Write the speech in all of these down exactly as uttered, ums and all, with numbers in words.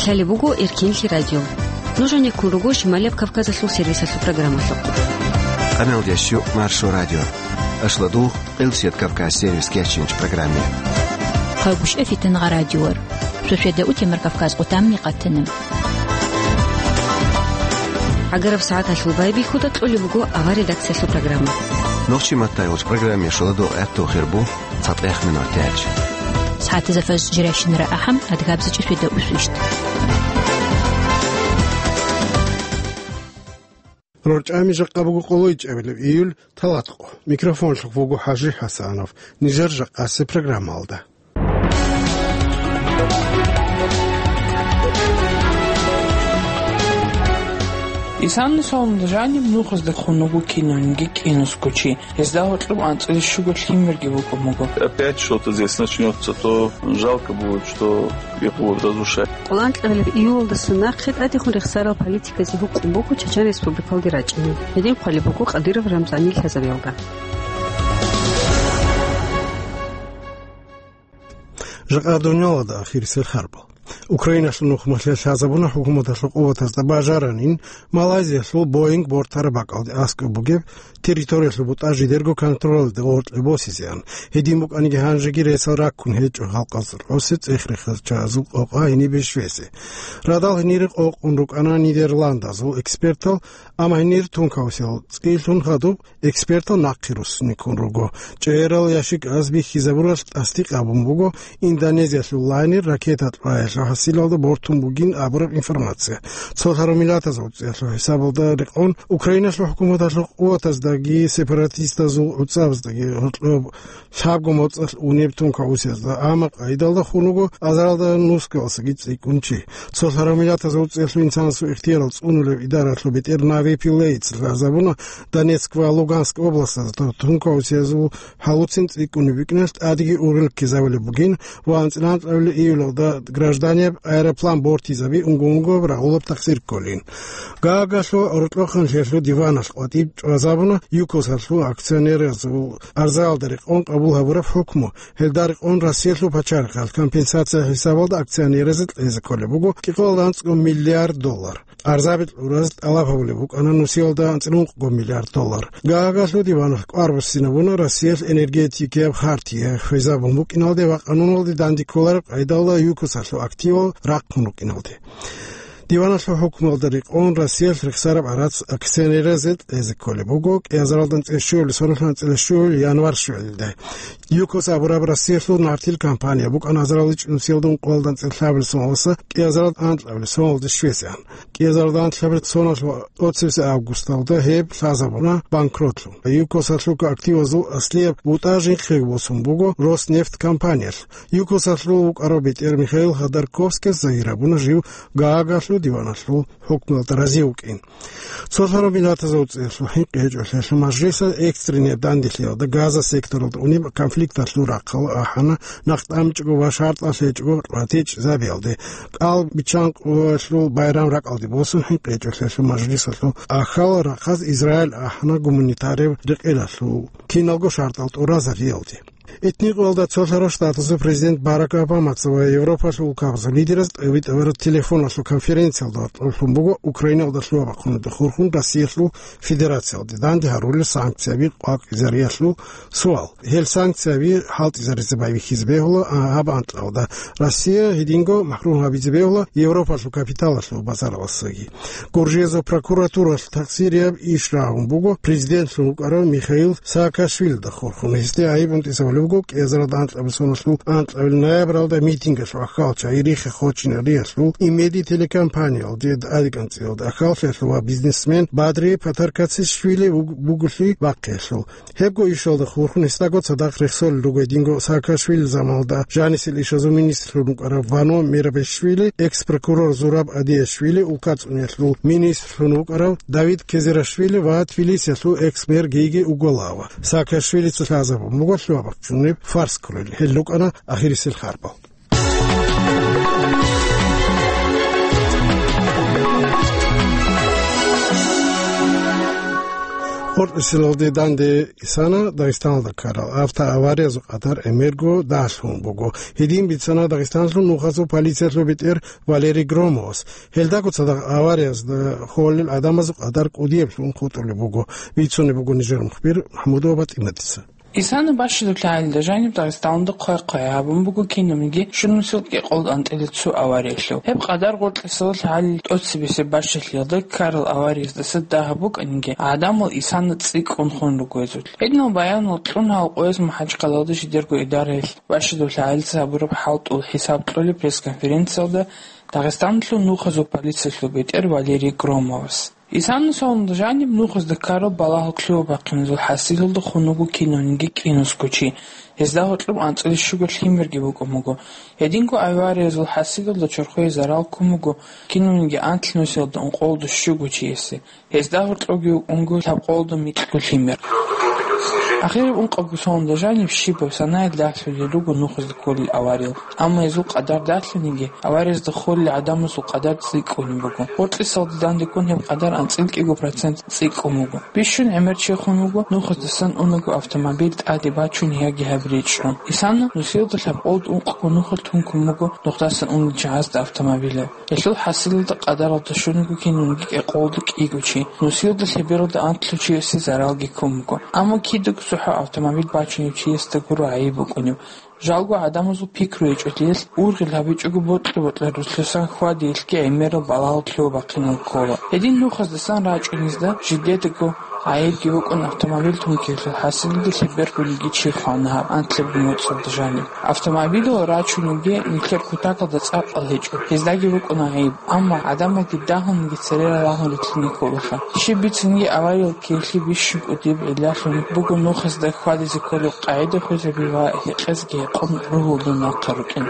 Лъалеб буго Эркинлъи радио. Нуж гьанеккун руго Шималияб Кавказалъул сервисалъул программалъухъ. Къамелдеш ю Маршо радио. Ашладул, Къилсият Кавказ сервис кечинч программе. Хъагушев Фитангъа радиор. Суседа утемар Кавказ къутамни къатана. Агараб сагӀаталъул байбихьуда кьолеб буго авар редакциялъул программа. Нохчи маттай гъоч программе шоладо гӀатту хирбу. ЦатӀех минут тяч. СагӀатазда фаз жиращинара ахӀам, адгабзичӀи светда усвищт. РорчӀами жакъа буго къолойчӀебилеб июль, талатӀкъо. Микрофонлъухъ вуго ХӀажи ХӀасанов. Нижер жакъасе программалда. Исанна саламда жаниб нухазда хун вуго киналниги кӀинусго чи. Гьезда гьоркьоб анцӀила щуго лъимерги букӀун буго. Опять что-то здесь начнётся, то жалко будет, что их будут разрушать. Кьулан кьабилеб июлалдаса нахъе тӀадехун рехсарал политиказе гьукъун буго Чечен Республикалги рачӀина. Гьедин хъвалеб буго Кадыров Рамзанил лъазабиялда. Жакъа дунялалда ахирисел харбал. Украиналъул нухмалъе лъазабуна хӀукуматалъул къуватазда бажаранин Малайзиялъул Боинг бортараб бакӀалде аскӀоб бугеб территориялъул бутӀа жидерго контролалде гъоркье босизеан. Гьедин букӀаниги гьанжеги ресал раккун гьечӀо халкъалъул гӀоси цӀех-рехачазул къокъа гьенибе щвезе. Радал гьенире къокъун рукӀана Нидерландазул экспертал, амма гьенир тункаусел цӀилъун хадуб экспертал нахъе руссине ккун руго. ЧӀегӀерал ящиказ бихьизабуралъ тасдикъ гьабун буго Индонезиялъул лайнер ракета кьваялъул хӀасилалда бортун бугин абураб информация. Цолъарав миллатазул цӀиялъул хӀисабалда рекъон, Украиналъул хӀукуматалъул къуватаздаги сепаратистазул гӀуцӀабаздаги гьоркьоб лъабго моцӀалъ унеб тункаусезда, амма къайдалда хун вуго азаралда нускаласаги цӀикӀкӀун чи. Цолъарав миллатазул цӀиялъул инсанасул ихтиярал цӀунулев идаралъул бетӀер Нави Пиллейца лъазабуна Донецк ва Луганск областазда тункаусезул гьалуцин цӀикӀкӀунеб букӀиналъ тӀадеги ургъел ккезабулеб бугин ва анцӀила анкьабилеб июлалда гражданияб аэроплан бортизаби унго-унгояб рагъулаб тахсир кколин. Гаагалъул гӀоркьохъанлъиялъул диваналъ къватӀиб чӀвазабуна ЮКОСалъул акционеразул арзаялда рекъон къабул гьабураб хӀукму. Гьелда рекъон Россиялъул пачарихъалъ компенсация хӀисабалда акционеразе кьезе кколеб буго кӀикъоялда анцӀго миллиард доллар. Арзаби кьураз тӀалаб гьабулеб букӀана нусиялда анцӀила ункъго миллиард доллар. Гаагалъул диваналъ кӀвар буссинабуна Россиялъ энергетикияб хартия хвезабун букӀиналде ва къануналде данде кколареб къайдалда ЮКОСалъул активал рахъун рукӀиналде. Диваналъул хӀукмуялда рекъон Россиялъ рехсараб гӀарац акционеразе кьезе кколеб буго кӀиазаралда анцӀила щуабилеб соналъ анцӀила щуабилеб январ щвелалде. ЮКОС абураб Россиялъул нартил компания букӀана азарал ичӀнусиялда ункъоялда анцӀила лъабабилеб соналъ кӀиазаралда анкьабилеб соналде щвезегӀан. КӀиазаралда анкьабилеб соналъ ва тӀоцебесеб августалда гьеб лъазабуна банкротлъун. ЮКОСалъул активазул аслияб бутӀа жинхъего босун буго Роснефть компаниялъ. ЮКОСалъул вукӀарав бетӀер Михаил Ходорковскияс загьир гьабуна жив Гаагалъул диваналъул хӀукмуялда рази вукӀин. Цолъарав миллатазул цӀиялъул хӀинкъи гьечӀолъиялъул мажлисалъ экстренный данделъиялда Газа секторалда унеб конфликталъул рахъалда ахӀана, нахъ тӀамичӀого ва шартӀалъ гьечӀого ратичӀзабиялде. КӀал биччан къоялъул байрам ракӀалде босун хӀинкъи гьечӀолъиялъул мажлисалъул ахьал рахъаз Израиль ахӀана гуманитарияв рекъелалъул киналго шартӀал тӀуразариялде. Этникъоялда цолъарав штатазул президент Барак Обамаца ва Европалъул улкабазул лидераз тӀибитӀараб телефоналъул конференциялда гьоркьоб лъун буго Украиналда лъугьа-бахъуналда хурхун Россиялъул Федерациялде данде гьарулел санкцияби къвакӀизариялъул суал. Гьел санкцияби хӀалтӀизаризе байбихьизе бегьула, а, гьаб анкьалда Россия гьединго махӀрум гьабизе бегьула Европалъул капиталалъул базаралдасаги. Гуржиязул прокуратуралъ такъсирияб иш рагӀун буго президентлъун вукӀарав Михаил Саакашвилида хурхун. Гьесде гӀайиб унтӀизабулеб буго кӀиазаралда анкьабилеб соналъул анкьабилеб ноябралда митингалъул ахьалча Ирихе хочинариялъул Имеди телекомпаниялде тӀадекӀанцӀиялда ахьалчаялъул ва бизнесмен Бадри Патаркацишвили вуг-, бугулъи бахъиялъул. Гьебго ишалда хурхун гьесдаго цадахъ рехсолел руго гьединго Саакашвили заманалда жанисел ишазул министрлъун вукӀарав Вано Мерабишвили, экс-прокурор Зураб Адиашвили, улкацӀуниялъул министрлъун вукӀарав Давид Кезирашвили ва Тбилисиялъул экс-мэр Гиги Уголава. Саакашвилица лъазабун буго лъугьа-бахъунеб фарс ккурал. Гьел рукӀана ахирисел харбал. Къоркьесилалде данде исана Дагъистаналда ккарал автоавариязул къадар гӀемерго дагьлъун буго. Гьедин бицана Дагъистаналъул нухазул полициялъул бетӀер Валерий Громовас. Гьелдаго цадахъ авариязда холел гӀадамазул къадар кӀудияблъун хутӀулеб буго. Бицунеб буго нижер мухбир МахӀмудова ПатӀиматица. Исана бащадулъ гьалда жаниб Дагъистаналда хъвай-хъвай гьабун буго кинабниги щунусил кӀикъолда анцӀила цо авариялъул. Гьеб къадар гъоркьесалъ гьалил тӀоцебесеб бащалъиялда ккарал аварияздаса дагьаб букӀаниги, гӀадамал Исана цӀикӀкӀун хун руго гьезулъ. Гьединал баянал кьун гьал къояз МахӀачхъалаялда жидерго идараялъ бащадулъ гьалица гьабураб хӀалтӀул хӀисаб кьолеб пресс-конференциялда Дагъистаналъул нухазул полициялъул бетӀер Валерий Громовас. Исана цониги жаниб нухазда ккарал балагьал лъугьа-бахъиназул хӀасилалда хун вуго кинавниги кӀинусго чи, гьезда гьоркьоб анцӀила щуго лъимерги букӀун буго. Гьединго авариязул хӀасилалда чорхое зарал ккун буго кинавниги анлънусиялда ункъолда щуго чиясе, гьезда гьоркьобги вукӀун буго лъабкъолда микьго лъимер. Ахираб ункъабго цониги жаниб щибаб санаялъ дагьлъулел руго нухазда кколел авариял. Амма гьезул къадар дагьлъаниги, авариязда холел гӀадамазул къадар цӀикӀкӀунеб буго. Гъоркьесалда дандеккун гьеб къадар анцӀила кӀиго процент цӀикӀкӀун буго. Бищун гӀемер чи хун вуго нухаздасан унаго автомобиль тӀаде бачун яги гьаб речӀчӀун. Исана нусиялда лъабкъолда ункъго нухалъ тункун буго нухдасан унел чагӀазда автомобилал. Гьелъул хӀасилалда къадаралда щун буго кинавниги кӀикъолда кӀиго чи. Нусиялда лъебералда анлъго чиясе заралги ккун буго. Амма кидаго цохӀо автомобиль бачунев чиясда гуро гӀайиб букӀунеб. Жалго гӀадамазул пикру гьечӀолъиялъ, ургъел гьабичӀого бокьа-бокьарулъусан хьвадиялъги гӀемерал балагьал лъугьа-бахъинал ккола. Гьедин нухаздасан рачӀунезда жидедаго гӀайибги букӀун автомобиль тункиялъул хӀасилалде лъебергониги чи хвана гьаб анлъабго моцӀалда жаниб. Автомобилал рачунебги нилъер кутакалда цӀакъал гьечӀо, гьездаги букӀуна гӀайиб, амма гӀадамалги дагьаниги цере ралагьун рилълъине кколаха. Щиб бицинги авариял ккеялъе бищун кӀудияб гӀиллалъун буго нухазда хьвадизе кколеб къагӀида хвезаби ва гьекъезги гьекъон ругьулда нахъа рукӀин,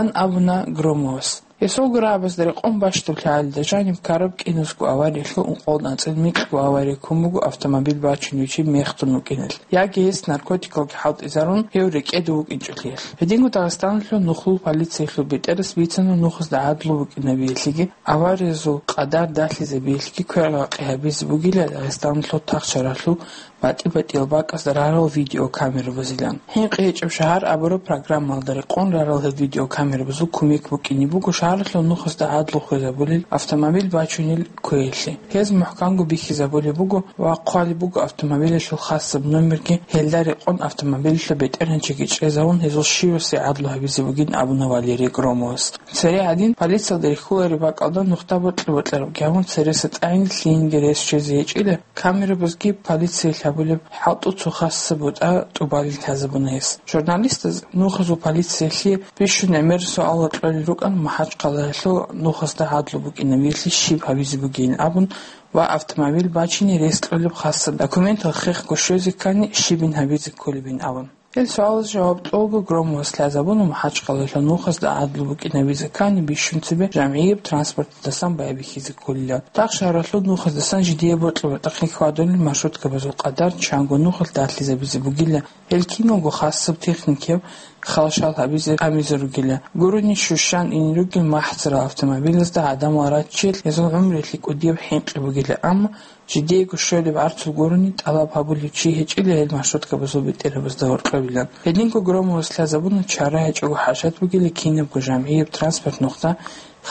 ян абуна Громовас. Гьесулго рагӀабазда рекъон бащдаб лъагӀалида жаниб ккараб кӀинусго авариялъул ункъолда анцӀила микьго авария ккун буго автомобиль бачунев чи мехтун вукӀиналъ, яги гьес наркотикалги хӀалтӀизарун, гьев рекӀеда вукӀинчӀолъиялъ. Гьединго Дагъистаналъул нухлул полициялъул бетӀерас бицана нухазда гӀадлу букӀинабиялъеги, авариязул къадар дагьлъизабиялъеги квер-гъакъи гьабизе бугила Дагъистаналъул тахшаралъул батӀи-батӀиял бакӀазда рарал видеокамерабазилан. ХӀинкъи гьечӀеб шагьар абураб программалда рекъон рарал гьел видеокамерабазул кумек букӀине буго шагьаралъул нухазда гӀадлу хвезабулел автомобиль бачунел кквеялъе. Гьез мухӀканго бихьизабулеб буго ва хъвалеб буго автомобилялъул хасаб номерги, гьелда рекъон автомобилялъул бетӀергьанчиги чӀезавун, гьезул щивасе гӀадлу гьабизе бугин абуна Валерий Громовас. Цере гьадин полициялда рихьулареб бакӀалда нухда бокьа-бокьарабги гьабун, цереса тӀагӀинаб лъиянги рес чӀезе гьечӀила, камерабазги полициялъ гьабулеб хӀалтӀу цо хасаб бутӀа тӀубалин лъазабуна гьес. Журналистаз нухазул полициялъе бищун гӀемер суалал кьолел рукӀана МахӀачхъалаялъул нухазда гӀадлу букӀинабиялъе щиб гьабизе бугин абун ва автомобиль бачине рес кьолеб хасаб документал хехго щвезе ккани щибин гьабизе кколебин абун. Гьел суалаз жаваб кьолго Громовас лъазабуна МахӀачхъалаялъул нухазда гӀадлу букӀинабизе ккани бищун цебе жамгӀияб транспорталдасан байбихьизе кколилан. Тахшагьаралъул нухаздасан жидее бокьа-бокьахъе хьвадулел маршруткабазул къадар чанго нухалъ дагьлъизабизе бугила, гьел киналго хасаб техникияб халшал гьабизе тӀамизе ругила. Гурони щущан ине ругел махӀцарал автомобилазда гӀадамал раччел гьезул гӀумруялъе кӀудияб хӀинкъи бугила, амма жидеего щолеб гӀарцул гурони тӀалаб гьабулев чи гьечӀила гьел маршруткабазул бетӀерабазда гьоркьобилан. Гьединго Громовас лъазабуна чара гьечӀого хӀажат бугила кинабго жамгӀияб транспорт нухда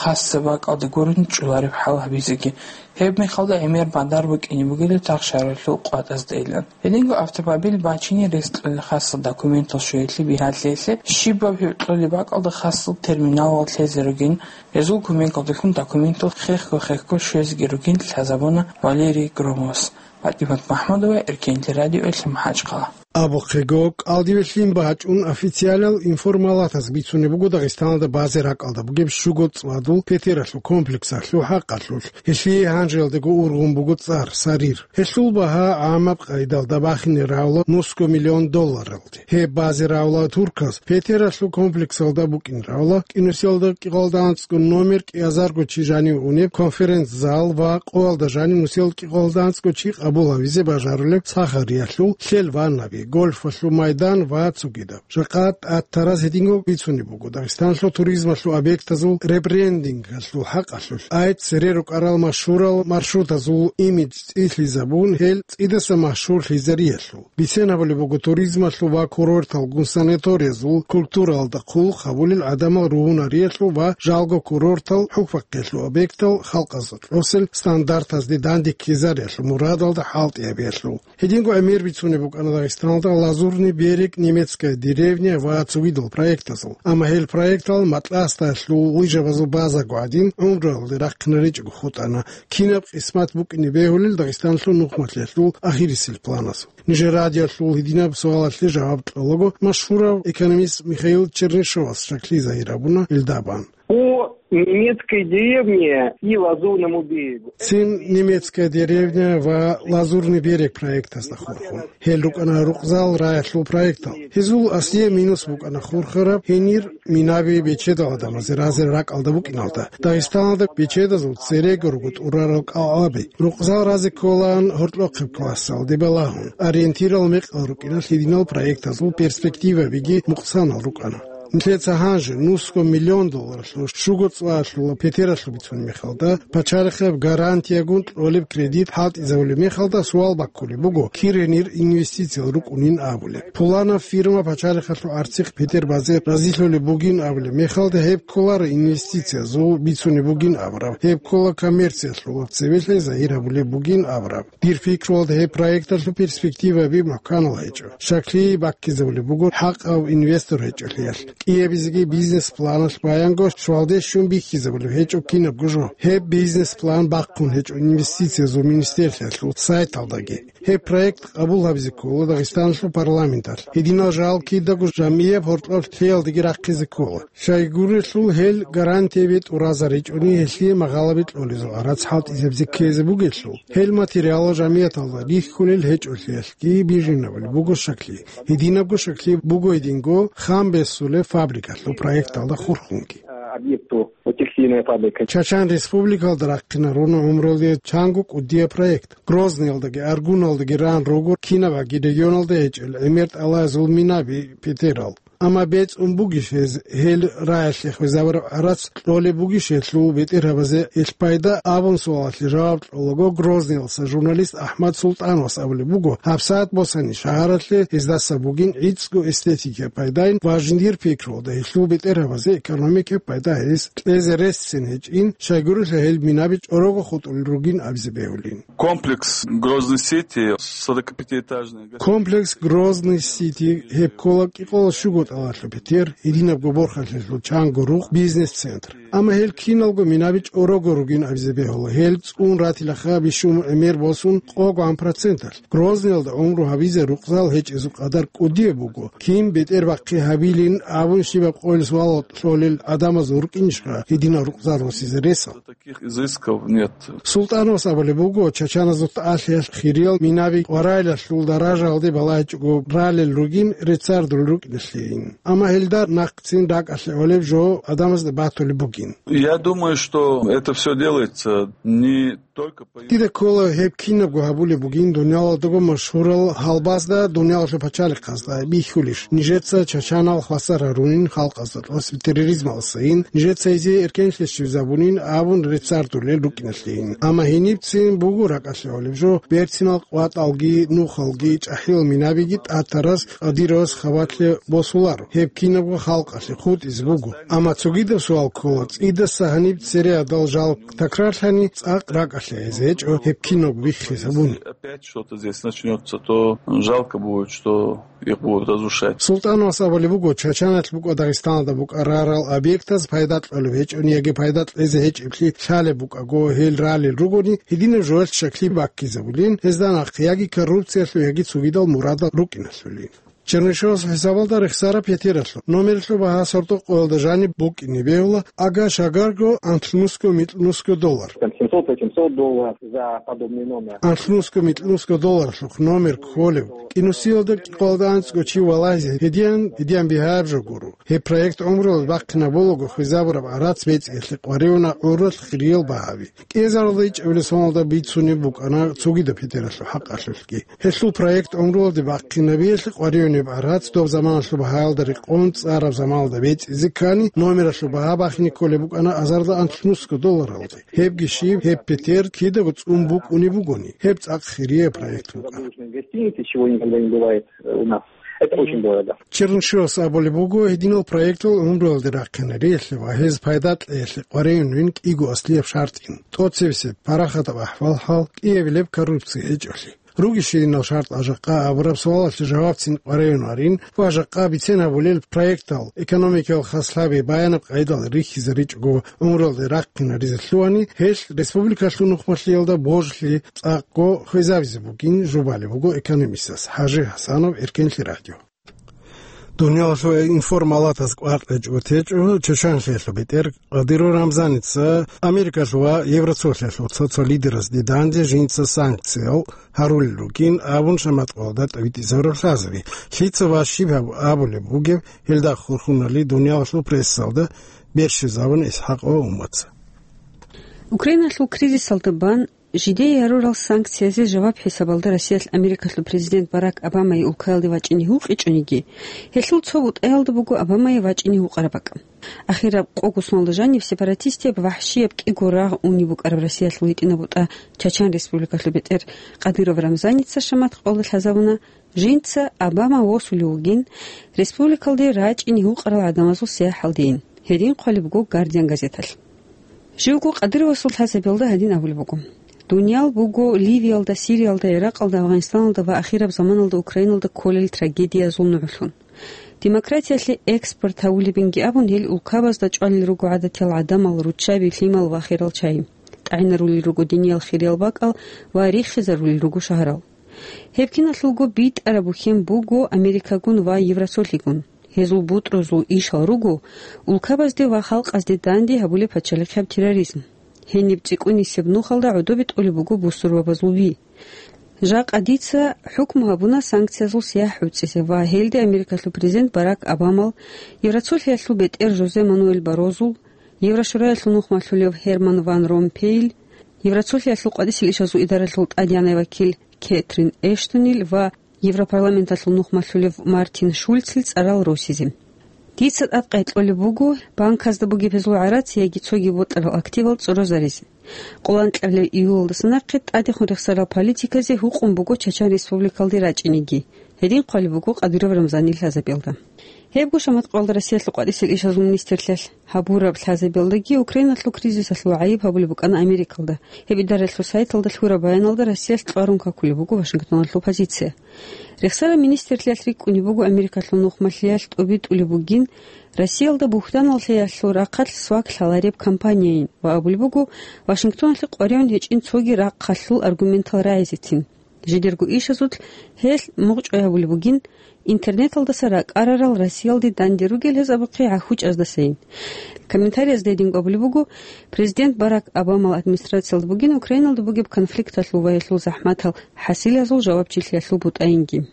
хасаб бакӀалда гурони чӀолареб хӀал гьабизеги. Гьеб мехалда гӀемер бадар букӀине бугила тахшагьаралъул къватӀаздайилан. Гьединго автомобиль бачине рес кьолел хасал документал щвеялъе бигьалъиялъе, щибаб гьеб кьолеб бакӀалда хасал терминалал лъезе ругин, гьезул кумекалдалъун документал хехго-хехго щвезеги ругин лъазабуна Валерий Громовас. ПатӀимат МахӀмудова, Эркенлъи радиоялъ, МахӀачхъала. Абухъего, кӀалдибе лъим бачӀун официалал информалатаз бицунеб буго Дагъистаналда базе ракӀалда бугеб щуго цӀвадул петералъул комплексалъул хӀакъалъулъ. Гьелъие гьанжеялдаго ургъун буго цӀар Сарир. Гьелъул багьа гӀамаб къайдалда бахине равла нусго миллион долларалде. Гьеб базе равла турказ петералъул комплексалда букӀин равла кӀинусиялда кӀикъоялда анцӀго номер кӀиазарго чи жанив унеб конференц-зал ва къоялда жанив нусиялда кӀикъоялда анцӀго чи къабул гьавизе бажарулеб сахариялъул лъел ваннаби. гольфалъул майдан ва цогидаб. Жакъа тӀад тараз гьединго бицунеб буго Дагъистаналъул туризмалъул объектазул ребрендингалъул хӀакъалъулъ, ай цере рукӀарал машгьурал маршрутазул имидж цӀилъизабун, гьел цӀидаса машгьурлъизариялъул. Бицен гьабулеб буго туризмалъул ва курорталгун санаториязул культуралда хъулухъ гьабулел гӀадамал ругьунариялъул ва жалго курортал хӀухьбахъиялъул объектал халкъазда кьосел стандартазде дандеккизариялъул мурадалда хӀалтӀи гьабиялъул. Гьединго гӀемер бицунеб букӀана Дагъистаналда «Лазурный берег», «Немецкая деревня» ва цогидал проектазул. Амма гьел проектал Матласдалъул лыжабазул базаго гӀадин гӀумруялде рахъинаричӀого хутӀана, кинаб къисмат букӀине бегьулел Дагъистаналъул нухмалъиялъул ахирисел планазул. Нижер радиоялъул гьединаб суалалъе жаваб кьолаго, машгьурав экономист Михаил Чернышевас щаклъи загьир гьабуна гьелда бан. По немецкой деревне и Лазурному берегу. Цин «Немецкая деревня» ва «Лазурный берег» проектазда хурхун. Гьел рукӀана рукъзал раялъул проектал. Гьезул аслияб минус букӀана хурхараб гьенир минаби бечедал гӀадамазе разе ракӀалда букӀиналда. Дагъистаналда бечедазул церего руго тӀурарал кӀалъаби. Рукъзал разе кколаан гьоркьохъеб классалде балагьун. Ориентирал мекъал рукӀиналъ гьединал проектазул перспективабиги мукъсанал рукӀана. Нилъеца гьанже нусго миллион долларалъул щуго цӀваялъул петералъул бицунеб мехалда, пачалихъеб гарантиягун кьолеб кредит хӀалтӀизабулеб мехалда суал баккулеб буго, кир гьенир инвестициял рукӀунин абулеб. Пуланаб фирма пачалихъалъул гӀарцихъ петер базе разилъулеб бугин абулеб мехалда, гьеб кколаро инвестициязул бицунеб бугин абураб, гьеб ккола коммерциялъулаб цевелъи загьир гьабулеб бугин абураб. Дир пикруялда, гьеб проекталъул перспективаби мухӀканал гьечӀо. Щаклъи баккизабулеб буго хӀакъав инвестор гьечӀолъиялъ. КӀиабизеги бизнес-планалъ баянго щвалде щун бихьизабулеб гьечӀо кинабго жо. Гьеб бизнес-план бахъун гьечӀо инвестициязул министерствоялъул сайталдаги. Гьеб проект къабул гьабизе ккола Дагъистаналъул парламенталъ. Гьединал жал кидаго жамияб гьоркьоб лъиялдаги рахъизе ккола. Щайгурелъул гьел гарантияби тӀуразаричӀони, гьелъие магъалаби кьолезул гӀарац хӀалтӀизабизе ккезе бугелъул, гьел материалал жамияталда рихьулел гьечӀолъиялъги бижинабулеб буго щаклъи. Гьединабго щаклъи буго гьединго хам бесулеб фабрикалъул проекталда хурхунги. Объекту текстильная фабрика. Чачан Республикалда рахъинаруна гӀумрулде чанго кӀудияб проект. Грозныйалдаги Аргуналдаги ран руго кинабаги регионалда гьечӀел гӀемер тӀалаязул минаби петерал. Амма бецӀун бугищ гьез, гьел раялъе хвезабураб гӀарац кьолеб бугищ гьелъул бетӀергьабазе ил пайда абун суалалъе жаваб кьолаго, Грозныялъа журналист АхӀмад Султановас абулеб буго, гьабсагӀат босани шагьаралъе гьездаса бугин гӀицӀго эстетикияб пайдайин ва жиндир пикруялда гьелъул бетӀергьабазе экономикияб пайда гьез кьезе ресцин гьечӀин, щайгурелъул гьел минаби чӀорого хутӀулел ругин абизе бегьулин. Комплекс Грозный Сити, сорокапятиэтажный. Комплекс Грозный Сити, гьеб ккола кӀикъоялда щуго тӀалалъул петер, гьединабго борхалъиялъул чанго рукъ, бизнес-центр. Амма гьел киналго минаби чӀорого ругин абизе бегьула, гьел цӀун ратилаха бищун гӀемер босун къо-гван проценталъ. Грозныйалда гӀумру гьабизе рукъзал гьечӀезул къадар кӀудияб буго, кин бетӀер бахъи гьабилин абун щибаб къойил суалал кьолел гӀадамазул рукӀинищха гьединал рукъзал росизе ресал? Таких изысков нет. Султановас абулеб буго, чачаназул тӀалъиялъ хириял минаби къварайлъул даражаялде балагьичӀого ралел ругин, реццардулел рукӀиналъейин. Амма гьелда нахъцин ракӀалъе гӀолеб жо гӀадамазда батулеб бугин. Я думаю, что это всё делается не только по... Дида ккола, гьеб кинабго гьабулеб бугин дуниялалдаго машгьурал гьалбазда, дуниялалъул пачалихъазда бихьулищ, нижеца чачанал хвасар гьарунин халкъазда тӀоцебе терроризмалдасайин, нижеца гьезие эркенлъи щвезабунин абун реццардулел рукӀиналъейин. Амма гьенибцин буго ракӀалъе гӀолеб жо, берцинал къватӀалги, нухалги, чӀахӀиял минабиги тӀатарас Кадыровас хабалъе босуларо. Гьеб кинабго халкъалъе хутӀизе буго. Амма цогидаб суал ккола, цӀидаса гьаниб цере гьадал жал такрарлъани, цӀакъ ракӀалъе гьезе гьечӀо гьеб кинабго биххизабуни. Опять что-то здесь начнётся, то жалко будет, что их будут разрушать. Султановас абулеб буго, Чачаналъ букӀа Дагъистаналда букӀарарал объектаз пайда кьолеб гьечӀони яги пайда кьезе гьечӀеблъи лъалеб букӀаго гьел ралел ругони, гьединаб жоялъ щаклъи баккизабулин, гьезда нахъ яги коррупциялъул, яги цогидал мурадал рукӀиналъулин. Чернышевас хӀисабалда рехсараб петералъул номералъул багьа сордо-къоялда жаниб букӀине бегьула, ага-шагарго анлънусго-микьнусго доллар. Там семьсот-восемьсот долларов за подобный номер. Анлънусго-микьнусго долларлъухъ номер кколев, Инусиялда кӀикъоялда анцӀго чи валагьизе гьедиян, гьедиян бигьаяб жо гуро. Гьеб проект гӀумруялде бахъинабулаго хвезабураб гӀарац бецӀиялъе къваригӀуна гӀурралъ хириял багьаби. КӀиазаралда ичӀабилеб соналда бицунеб букӀана цогидаб петералъул хӀакъалъулъги. Гьелъул проект гӀумруялде бахъинабиялъе къваригӀунеб гӀарац доб заманалъул багьаялда рекъон цӀараб заманалда бецӀизе ккани, номералъул багьа бахине кколеб букӀана азарда анлънусго долларалде. Гьебги щиб, гьеб петер кидаго цӀун букӀунеб бугони, гьеб цӀакъ хирияб проект букӀана. Гостиницы, чего никогда не бывает, э, у нас. Это очень дорого. Чернышевас абулеб буго, гьединал проектал гӀумруялде рахъинариялъе ва гьез пайда кьеялъе къваригӀунин кӀиго аслияб шартӀин. ТӀоцебесеб парахатаб ахӀвал-хӀал, кӀиабилеб коррупция гьечӀолъи. Ругищ гьединал шартӀал жакъа абураб суалалъе жавабцин къваригӀунарин ва жакъа бицен гьабулел проектал экономикиял хаслъаби баянаб къайдал рихьизаричӀого гӀумруялде рахъинаризе лъугьани, гьелъ республикалъул нухмалъиялда божилъи цӀакъго хвезабизе бугин жубалеб буго экономистас ХӀажи ХӀасанов, Эркенлъи радио. Дуниялалъул информалатаз кӀвар кьечӀого течӀо Чеченлъиялъул бетӀер Кадыров Рамзаница Америкалъул ва Евросоюзалъул цо-цо лидерасде данде жинца санкциял гьарулел ругин абун шаматкъалда тӀибитӀизабураб лъазаби. Лъица ва щиб гьаб-, абулеб бугеб гьелда хурхунали дуниялалъул прессалда берщизабун ИсхӀакъ ва Уммаца. Украиналъул кризисалда бан жидее гьарурал санкциязе жаваб хӀисабалда Россиялъ Америкалъул президент Барак Обамае улкаялде вачӀине гьукъичӀониги, гьелъул цо бутӀаялда буго Обамае вачӀине гьукъараб бакӀ. Ахираб къого соналда жаниб сепаратистияб вахӀщияб кӀиго рагъ унеб букӀараб Россиялъул гьитӀинаб бутӀа Чачан Республикалъул бетӀер Кадыров Рамзаница шаматкъалда лъазабуна, жинца Обама восулев вугин, республикалде рачӀине гьукъарал гӀадамазул сияхӀалдейин. Гьедин хъвалеб буго Гардиан газеталъ. Живго Кадыровасул лъазабиялда гьадин абулеб буго: «Дуниял буго Ливиялда, Сириялда, Иракъалда, Афганистаналда ва ахираб заманалда Украиналда кколел трагедиязул нугӀлъун. Демократиялъе экспорт гьавулебинги абун, гьел улкабазда чӀвалел руго гӀадатиял гӀадамал, руччаби, лъимал ва херал чай. ТӀагӀинарулел руго диниял хириял бакӀал ва риххизарулел руго шагьарал. Гьеб киналъулго битӀараб бухьен буго Америкагун ва Евросоюзгун. Гьезул бутӀрузул ишал руго улкабазде ва халкъазде данде гьабулеб пачалихъияб терроризм. Гьениб цӀикӀкӀунисеб нухалда гӀодобе тӀолеб буго бусурбабазул ви. Жакъа дица хӀукму гьабуна санкциязул сияхӀ гӀуцӀизе ва гьелде Америкалъул президент Барак Обамал, Евросоюзалъул бетӀер Жозе Мануэль Баррозул, Еврошураялъул нухмалъулев Герман ван Ромпейил, Евросоюзалъул къватӀисел ишазул идаралъул тӀадегӀанай вакил Кетрин Эштонил ва Европарламенталъул нухмалъулев Мартин Шульцил цӀарал росизе. Дица тӀад къайкьолеб буго банказда бугеб гьезул гӀарац яги цоги бутӀарал активал цӀорозаризе. Къоло анкьабилеб июлалдаса нахъе тӀадехун рехсарал политиказе гьукъун буго Чачан Республикалде рачӀинеги». Гьедин хъвалеб буго Кадыров Рамзанил лъазабиялда. Гьебго шаматкъалда Россиялъул къватӀисел ишазул министрлъиялъ гьабураб лъазабиялдаги Украиналъул кризисалъул гӀайиб гьабулеб букӀана Америкалда. Гьеб идаралъул сайталда лъураб баяналда Россиялъ кьварун какулеб буго Вашингтоналъул позиция. Рехсараб министрлъиялъ рикӀкӀунеб буго Америкалъул нухмалъиялъ тӀубитӀулеб бугин, Россиялда бугьтаналъиялъул рахъалъ свак лъалареб кампанияйин ва абулеб буго Вашингтоналъе къваригӀун гьечӀин цоги рахъалъул аргументал рагӀизецин. Жидерго ишазулъ гьелъ мугъчӀвай гьабулеб бугин, интернеталдаса ракӀарарал Россиялде данде ругел гьез абухъе гӀахьучӀаздасайин. Комментариязда гьединго абулеб буго, президент Барак Обамал администрациялда бугин Украиналда бугеб конфликталъул ва гьелъул захӀматал хӀасилазул жавабчилъиялъул бутӀайинги.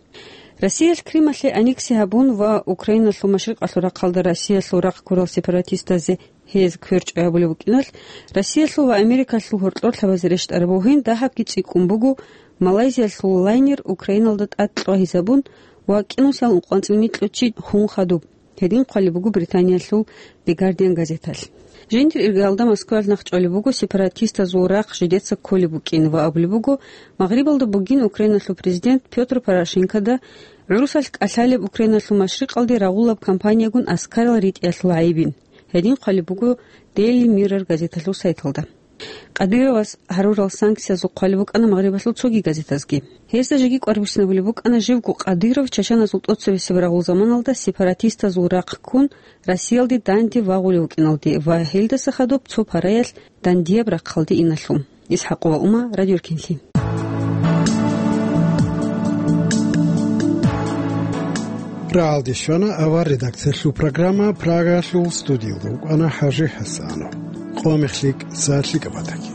Россиялъ Крымалъе аннекси гьабун ва Украиналъул машрикъалъул рахъалда Россиялъул рахъ гурал сепаратистазе гьез кверчӀой гьабулеб букӀиналъ, Россиялъул ва Америкалъул гьоркьорлъабазе рещтӀараб бугин дагьабги цӀикӀкӀун буго Малайзиялъул лайнер Украиналда тӀад кьвагьизабун ва кӀинусиялда ункъоцӀилъ микьго чи хун хадуб. Гьедин хъвалеб буго Британиялъул The Guardian газеталъ. Жиндир иргаялда Москваялъ нахъчӀвалеб буго сепаратистазул рахъ жидеца кколеб букӀин ва абулеб буго, Магърибалда бугин Украиналъул президент Пётр Порошенкода гӀурусалъ кӀалъалеб Украиналъул машрикъалде рагъулаб кампаниягун аскарал ритӀиялъул гӀайибин. Гьедин хъвалеб буго Daily Mirror газеталъул сайталда. Кадыровас гьарурал санкциязул хъвалеб букӀана Магърибалъул цоги газетазги. Гьезда жеги кӀвар буссинабулеб букӀана живго Кадыров чачаназул тӀоцебесеб рагъул заманалда сепаратистазул рахъ ккун Россиялде данде вагъулев вукӀиналде ва гьелдаса хадуб цо параялъ дандияб рахъалде иналъул. ИсхӀакъова Ума, Радио Эркенлъи. Рагьалде щвана авар редакциялъул программа, Прагалъул студиялда вукӀана ХӀажи ХӀасанов. Къо мехлъи, сагӀат лъикӀаб батаги.